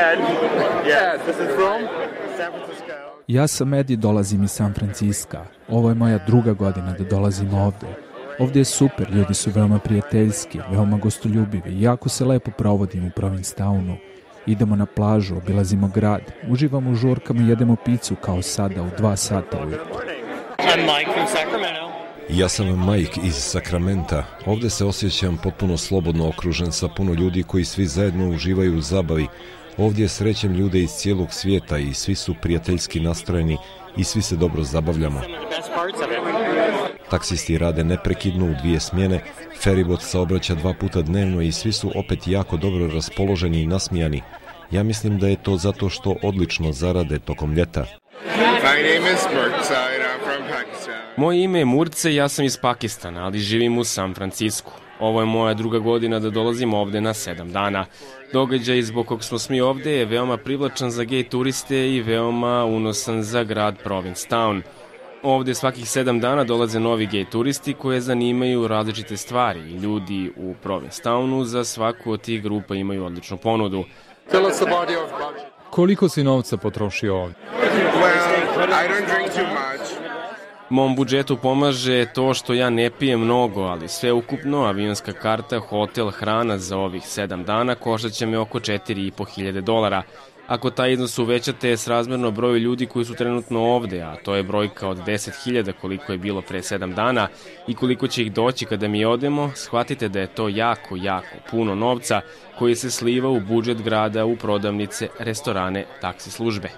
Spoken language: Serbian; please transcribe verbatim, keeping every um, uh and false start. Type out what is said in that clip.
Ed. Yeah, this is from San Francisco. Ja sam Ed i dolazim iz San Franciska. Ovo je moja druga godina da dolazim ovde. Ovde je super, ljudi su veoma prijateljski, veoma gostoljubivi i jako se lepo provodim u Provincetownu. Idemo na plažu, obilazimo grad, uživamo u žurkama i jedemo picu kao sada u dva sata ujutro. I'm Mike from Sacramento. Ja sam Mike iz Sakramenta. Ovde se osjećam potpuno slobodno okružen sa puno ljudi koji svi zajedno uživaju u zabavi. Ovdje srećem ljude iz cijelog svijeta i svi su prijateljski nastrojeni i svi se dobro zabavljamo. Taksisti rade neprekidno u dvije smjene, feribot saobraća dva puta dnevno i svi su opet jako dobro raspoloženi i nasmijani. Ja mislim da je to zato što odlično zarade tokom ljeta. Moje ime je Murce i ja sam iz Pakistana, ali živim u San Francisku. Ovo je moja druga godina da dolazim ovde na sedam dana. Događaj zbog kog smo smi ovde je veoma privlačan za gej turiste i veoma unosan za grad Provincetown. Ovde svakih sedam dana dolaze novi gej turisti koje zanimaju različite stvari i ljudi u Provincetownu za svaku od tih grupa imaju odličnu ponudu. Koliko si novca potrošio ovdje? Mom budžetu pomaže to što ja ne pijem mnogo, ali sve ukupno, avionska karta, hotel, hrana za ovih sedam dana koštaće me oko četiri i po hiljade dolara. Ako taj iznos uvećate srazmerno broju ljudi koji su trenutno ovde, a to je brojka od deset hiljada koliko je bilo pre sedam dana i koliko će ih doći kada mi odemo, shvatite da je to jako, jako puno novca koji se sliva u budžet grada, u prodavnice, restorane, taksi službe.